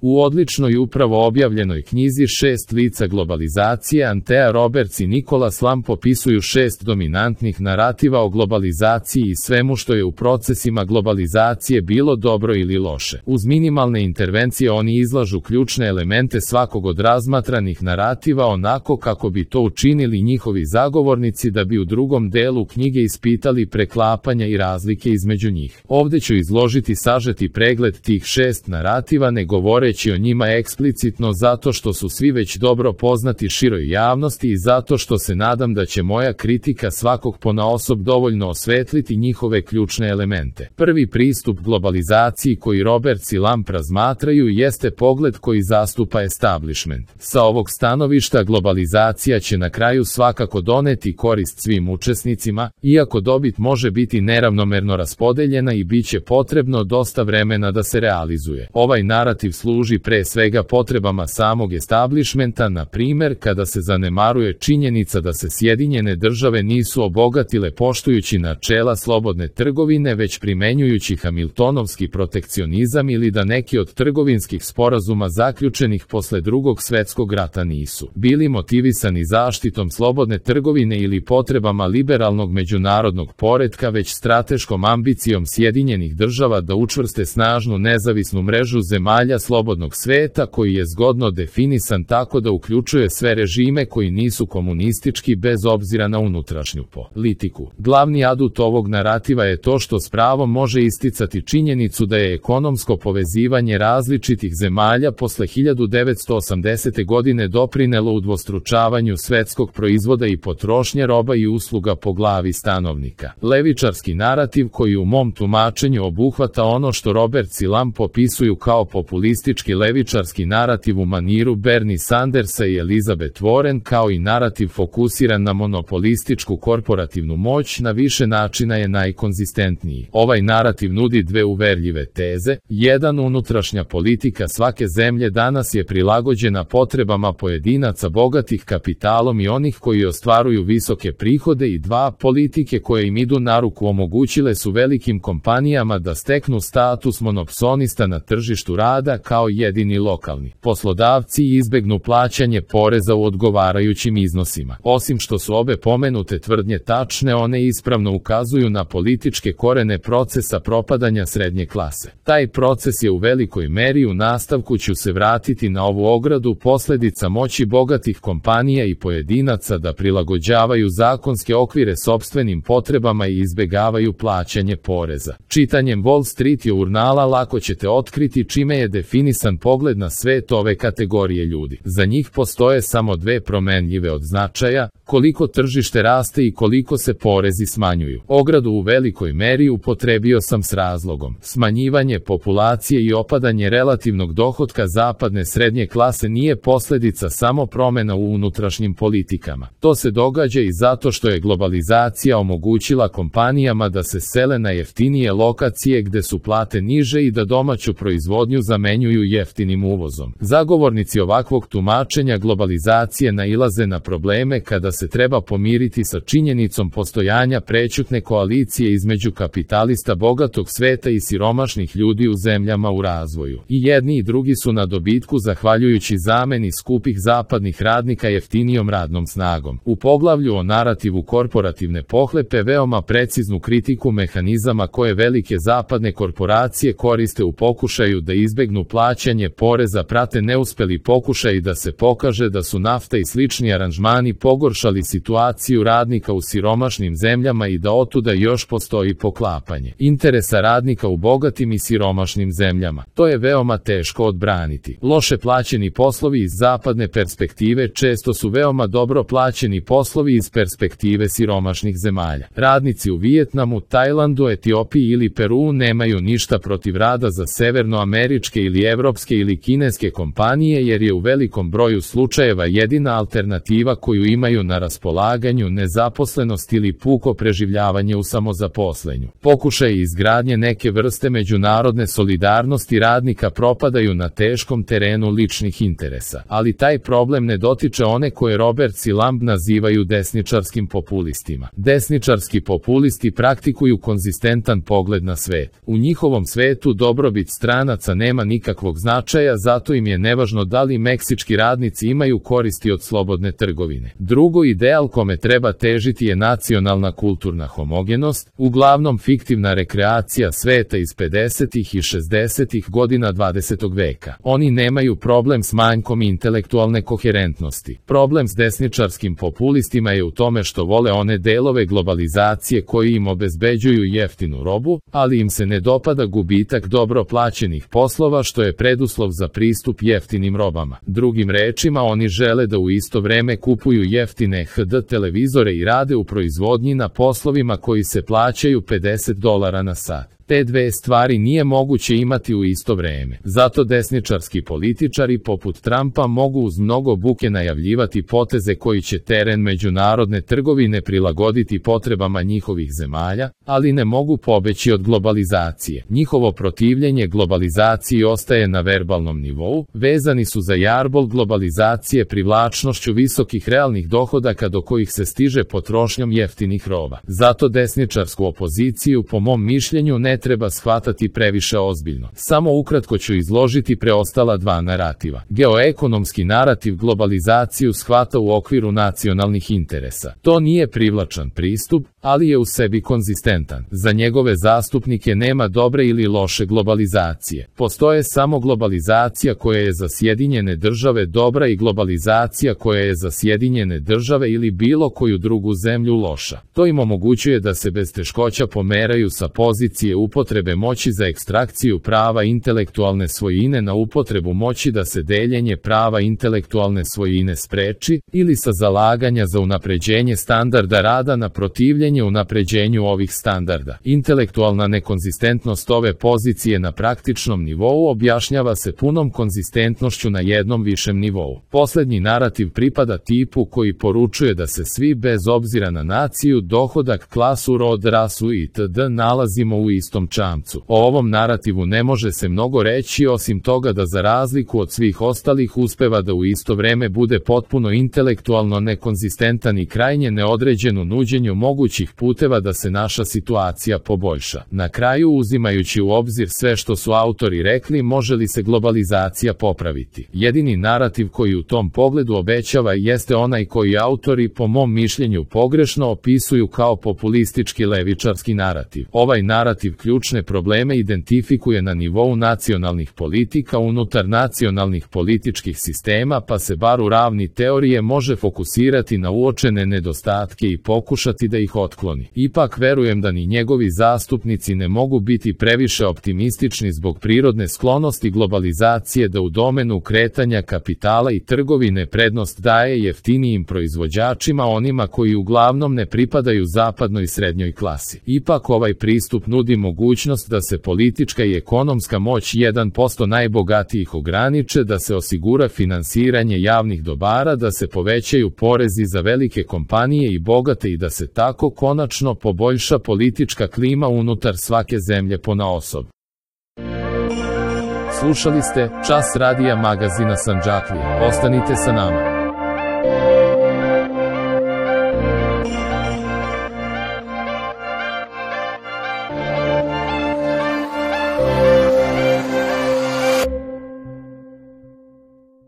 U odličnoj upravo objavljenoj knjizi 6 lica globalizacije Antea Roberts i Nicholas Lamb popisuju 6 dominantnih narativa o globalizaciji i svemu što je u procesima globalizacije bilo dobro ili loše. Uz minimalne intervencije oni izlažu ključne elemente svakog od razmatranih narativa onako kako bi to učinili njihovi zagovornici da bi u drugom delu knjige ispitali preklapanja i razlike između njih. Ovdje ću izložiti sažeti pregled tih 6 narativa, ne govoreći o njima eksplicitno zato što su svi već dobro poznati široj javnosti i zato što se nadam da će moja kritika svakog ponaosob dovoljno osvetliti njihove ključne elemente. Prvi pristup globalizaciji koji Roberts i Lamb razmatraju jeste pogled koji zastupa establishment. Sa ovog stanovišta globalizacija će na kraju svakako doneti korist svim učesnicima, iako dobit može biti neravnomerno raspodeljena i bit će potrebno dosta vremena da se realizuje. Ovaj narativ služi pre svega potrebama samog establishmenta, na primjer kada se zanemaruje činjenica da se Sjedinjene države nisu obogatile poštujući načela slobodne trgovine već primenjujući hamiltonovski protekcionizam ili da neki od trgovinskih sporazuma zaključenih posle Drugog svjetskog rata nisu bili motivisani zaštitom slobodne trgovine ili potrebama liberalnog međunarodnog poretka već strateškom ambicijom Sjedinjenih država da učvrste snažnu nezavisnu mrežu zemalja slobodnog sveta koji je zgodno definisan tako da uključuje sve režime koji nisu komunistički bez obzira na unutrašnju politiku. Glavni adut ovog narativa je to što s pravom može isticati činjenicu da je ekonomsko povezivanje različitih zemalja posle 1980. godine doprinelo udvostručavanju svetskog proizvoda i potrošnje roba i usluga po glavi stanovnika. Levičarski narativ koji u mom tumačenju obuhvata ono što Roberts i Lamb popisuju kao populistički levičarski narativ u maniru Bernie Sandersa i Elizabeth Warren, kao i narativ fokusiran na monopolističku korporativnu moć, na više načina je najkonzistentniji. Ovaj narativ nudi dve uverljive teze. 1. Unutrašnja politika svake zemlje danas je prilagođena potrebama pojedinaca bogatih kapitalom i onih koji ostvaruju visoke prihode i 2. Politike koje im idu na ruku omogućile su velikim kompanijama da steknu status monopsonista na tržištu rada kao jedini lokalni poslodavci i izbegnu plaćanje poreza u odgovarajućim iznosima. Osim što su obe pomenute tvrdnje tačne, one ispravno ukazuju na političke korene procesa propadanja srednje klase. Taj proces je u velikoj meri, u nastavku ću se vratiti na ovu ogradu, posljedica moći bogatih kompanija i pojedinaca da prilagođavaju zakonske okvire sopstvenim potrebama i izbegavaju plaćanje poreza. Čitanjem Wall Street Journala lako ćete otkriti čime je definisan pogled na svet ove kategorije ljudi. Za njih postoje samo dve promenljive od značaja: koliko tržište raste i koliko se porezi smanjuju. Ogradu u velikoj meri upotrebio sam s razlogom. Smanjivanje populacije i opadanje relativnog dohotka zapadne srednje klase nije posljedica samo promjena u unutrašnjim politikama. To se događa i zato što je globalizacija omogućila kompanijama da se sele na jeftinije lokacije gde su plate niže i da domaću proizvodnju zamenjuju jeftinim uvozom. Zagovornici ovakvog tumačenja globalizacije nailaze na probleme kada se treba pomiriti sa činjenicom postojanja prećutne koalicije između kapitalista bogatog sveta i siromašnih ljudi u zemljama u razvoju. I jedni i drugi su na dobitku zahvaljujući zameni skupih zapadnih radnika jeftinijom radnom snagom. U poglavlju o narativu korporativne pohlepe veoma preciznu kritiku mehanizama koje velike zapadne korporacije koriste u pokušaju da izbegnu plaćanje poreza prate neuspeli pokušaj da se pokaže da su nafta i slični aranžmani pogoršali situaciju radnika u siromašnim zemljama i da otuda još postoji poklapanje interesa radnika u bogatim i siromašnim zemljama. To je veoma teško odbraniti. Loše plaćeni poslovi iz zapadne perspektive često su veoma dobro plaćeni poslovi iz perspektive siromašnih zemalja. Radnici u Vijetnamu, Tajlandu, Etiopiji ili Peruu nemaju ništa protiv rada za severnoameričke ili evropske ili kineske kompanije jer je u velikom broju slučajeva jedina alternativa koju imaju na raspolaganju nezaposlenost ili puko preživljavanje u samozaposlenju. Pokušaj izgradnje neke vrste međunarodne solidarnosti radnika propadaju na teškom terenu ličnih interesa, ali taj problem ne dotiče one koje Roberts i Lamb nazivaju desničarskim populistima. Desničarski populisti praktikuju konzistentan pogled na svet. U njihovom svetu dobrobit stranaca nema nikakvog nikakvog značaja, zato im je nevažno da li meksički radnici imaju koristi od slobodne trgovine. Drugo, ideal kome treba težiti je nacionalna kulturna homogenost, uglavnom fiktivna rekreacija sveta iz 50. i 60. godina 20. veka. Oni nemaju problem s manjkom intelektualne koherentnosti. Problem s desničarskim populistima je u tome što vole one delove globalizacije koji im obezbeđuju jeftinu robu, ali im se ne dopada gubitak dobro plaćenih poslova što je preduslov za pristup jeftinim robama. Drugim rečima, oni žele da u isto vreme kupuju jeftine HD televizore i rade u proizvodnji na poslovima koji se plaćaju $50 na sat. Te dve stvari nije moguće imati u isto vreme. Zato desničarski političari poput Trumpa mogu uz mnogo buke najavljivati poteze koji će teren međunarodne trgovine prilagoditi potrebama njihovih zemalja, ali ne mogu pobeći od globalizacije. Njihovo protivljenje globalizaciji ostaje na verbalnom nivou, vezani su za jarbol globalizacije privlačnošću visokih realnih dohodaka do kojih se stiže potrošnjom jeftinih roba. Zato desničarsku opoziciju, po mom mišljenju, ne treba shvatati previše ozbiljno. Samo ukratko ću izložiti preostala dva narativa. Geoekonomski narativ globalizaciju shvata u okviru nacionalnih interesa. To nije privlačan pristup, ali je u sebi konzistentan. Za njegove zastupnike nema dobre ili loše globalizacije. Postoje samo globalizacija koja je za Sjedinjene države dobra i globalizacija koja je za Sjedinjene države ili bilo koju drugu zemlju loša. To im omogućuje da se bez teškoća pomeraju sa pozicije upotrebe moći za ekstrakciju prava intelektualne svojine na upotrebu moći da se deljenje prava intelektualne svojine spreči, ili sa zalaganja za unapređenje standarda rada na protivljenje unapređenju ovih standarda. Intelektualna nekonzistentnost ove pozicije na praktičnom nivou objašnjava se punom konzistentnošću na jednom višem nivou. Poslednji narativ pripada tipu koji poručuje da se svi bez obzira na naciju, dohodak, klasu, rod, rasu itd. nalazimo u istom čamcu. O ovom narativu ne može se mnogo reći osim toga da za razliku od svih ostalih uspeva da u isto vreme bude potpuno intelektualno nekonzistentan i krajnje neodređen u nuđenju mogućih puteva da se naša situacija poboljša. Na kraju, uzimajući u obzir sve što su autori rekli, može li se globalizacija popraviti? Jedini narativ koji u tom pogledu obećava jeste onaj koji autori, po mom mišljenju, pogrešno opisuju kao populistički levičarski narativ. Ovaj narativ ključne probleme identifikuje na nivou nacionalnih politika unutar nacionalnih političkih sistema, pa se bar u ravni teorije može fokusirati na uočene nedostatke i pokušati da ih otkloni. Ipak verujem da ni njegovi zastupnici ne mogu biti previše optimistični zbog prirodne sklonosti globalizacije da u domenu kretanja kapitala i trgovine prednost daje jeftinijim proizvođačima, onima koji uglavnom ne pripadaju zapadnoj srednjoj klasi. Ipak ovaj pristup nudi mogućnost da se politička i ekonomska moć 1% najbogatijih ograniče, da se osigura finansiranje javnih dobara, da se povećaju porezi za velike kompanije i bogate i da se tako konačno poboljša politička klima unutar svake zemlje ponaosob. Slušali ste Čas radija magazina Sandžaklija. Ostanite sa nama.